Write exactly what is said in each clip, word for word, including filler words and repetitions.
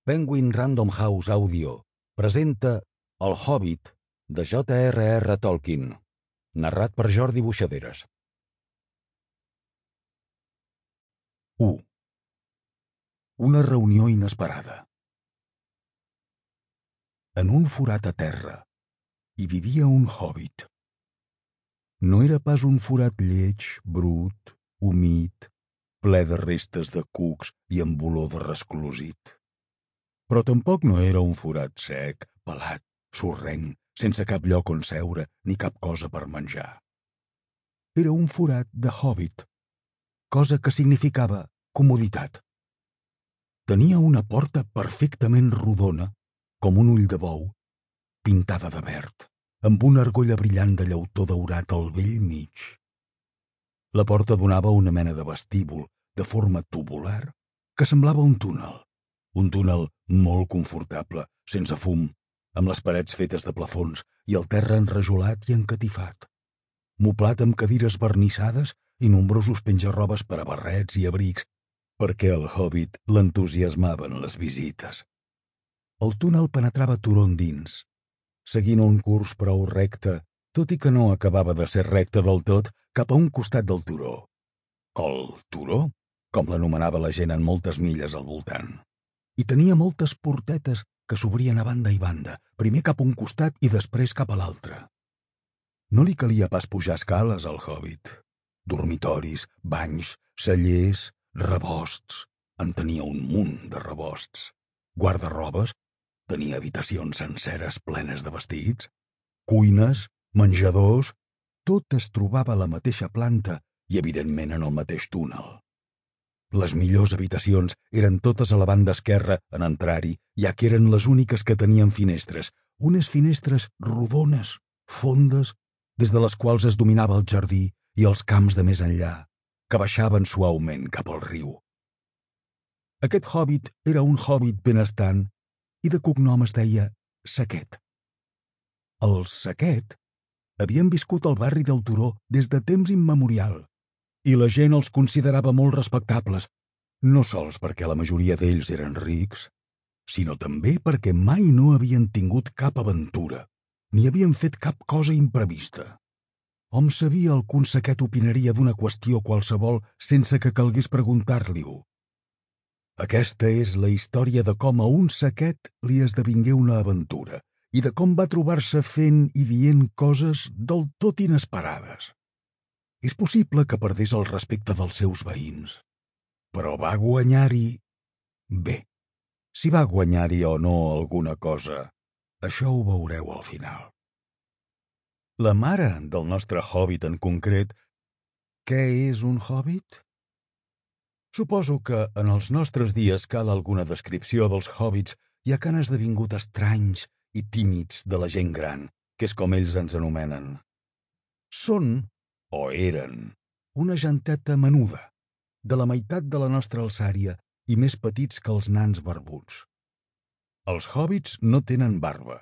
Penguin Random House Audio presenta El Hobbit de J R R Tolkien, narrat per Jordi Buixaderes. u. Una reunió inesperada. En un forat a terra hi vivia un hobbit. No era pas un forat lleig, brut, humit, ple de restes de cucs i amb olor de resclosit. Però tampoc no era un forat sec, pelat, sorrenc, sense cap lloc on seure ni cap cosa per menjar. Era un forat de hobbit, cosa que significava comoditat. Tenia una porta perfectament rodona, com un ull de bou, pintada de verd, amb una argolla brillant de llautó daurat al bell mig. La porta donava una mena de vestíbul de forma tubular que semblava un túnel. Un túnel molt confortable, sense fum, amb les parets fetes de plafons i el terra enrajolat i encatifat. Moblat amb cadires vernissades i nombrosos penjarrobes per a barrets i abrics, perquè el hobbit l'entusiasmaven les visites. El túnel penetrava turó endins, seguint un curs prou recte, tot i que no acabava de ser recte del tot, cap a un costat del turó. El turó, com l'anomenava la gent en moltes milles al voltant. I tenia moltes portetes que s'obrien a banda i banda, primer cap a un costat i després cap a l'altre. No li calia pas pujar escales al hobbit. Dormitoris, banys, cellers, rebosts. En tenia un munt de rebosts. Guardarrobes, tenia habitacions senceres plenes de vestits. Cuines, menjadors, tot es trobava a la mateixa planta i, evidentment, en el mateix túnel. Les millors habitacions eren totes a la banda esquerra en entrar-hi, ja que eren les úniques que tenien finestres, unes finestres rodones, fondes, des de les quals es dominava el jardí i els camps de més enllà, que baixaven suaument cap al riu. Aquest hobbit era un hobbit benestant i de cognom es deia Saquet. Els Saquet havien viscut al barri del Turó des de temps immemorial, i la gent els considerava molt respectables, no sols perquè la majoria d'ells eren rics, sinó també perquè mai no havien tingut cap aventura, ni havien fet cap cosa imprevista. Hom sabia el que un saquet opinaria d'una qüestió qualsevol sense que calgués preguntar-li-ho. Aquesta és la història de com a un saquet li esdevingué una aventura i de com va trobar-se fent i dient coses del tot inesperades. És possible que perdés el respecte dels seus veïns, però va guanyar-hi... Bé, si va guanyar-hi o no alguna cosa, això ho veureu al final. La mare del nostre hobbit en concret, què és un hobbit? Suposo que en els nostres dies cal alguna descripció dels hobbits, ja que han esdevingut estranys i tímids de la gent gran, que és com ells ens anomenen. Són, o eren, una genteta menuda, de la meitat de la nostra alçària i més petits que els nans barbuts. Els hobbits no tenen barba.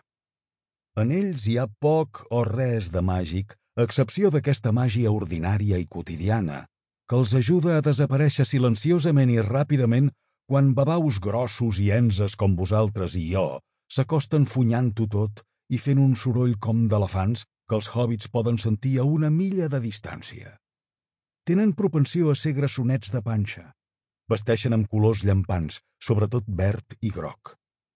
En ells hi ha poc o res de màgic, a excepció d'aquesta màgia ordinària i quotidiana, que els ajuda a desaparèixer silenciosament i ràpidament quan babaus grossos i enses com vosaltres i jo s'acosten funyant-ho tot i fent un soroll com d'elefants que els hobbits poden sentir a una milla de distància. Tenen propensió a ser grassonets de panxa. Vesteixen amb colors llampants, sobretot verd i groc.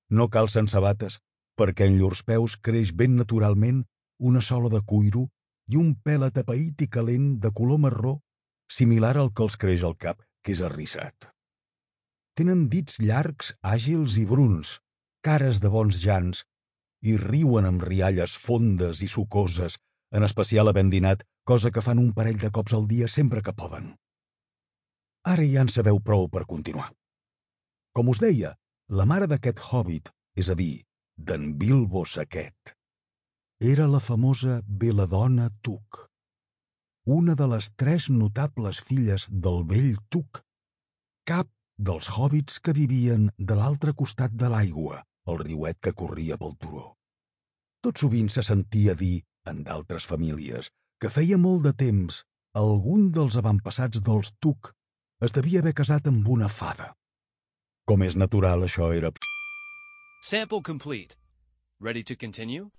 No calcen sabates, perquè en llurs peus creix ben naturalment una sola de cuiro i un pèl atapeït i calent de color marró, similar al que els creix al cap, que és arrissat. Tenen dits llargs, àgils i bruns, cares de bons jans, i riuen amb rialles fondes i sucoses, en especial havent dinat, cosa que fan un parell de cops al dia sempre que poden. Ara ja en sabeu prou per continuar. Com us deia, la mare d'aquest hobbit, és a dir, d'en Bilbo Saquet, era la famosa Beladona Tuc, una de les tres notables filles del vell Tuc, cap dels hobbits que vivien de l'altre costat de l'aigua, el riuet que corria pel turó. Tot sovint se sentia dir, en d'altres famílies, que feia molt de temps algun dels avantpassats dels Tuc es devia haver casat amb una fada. Com és natural, això era Sample complete. Ready to continue?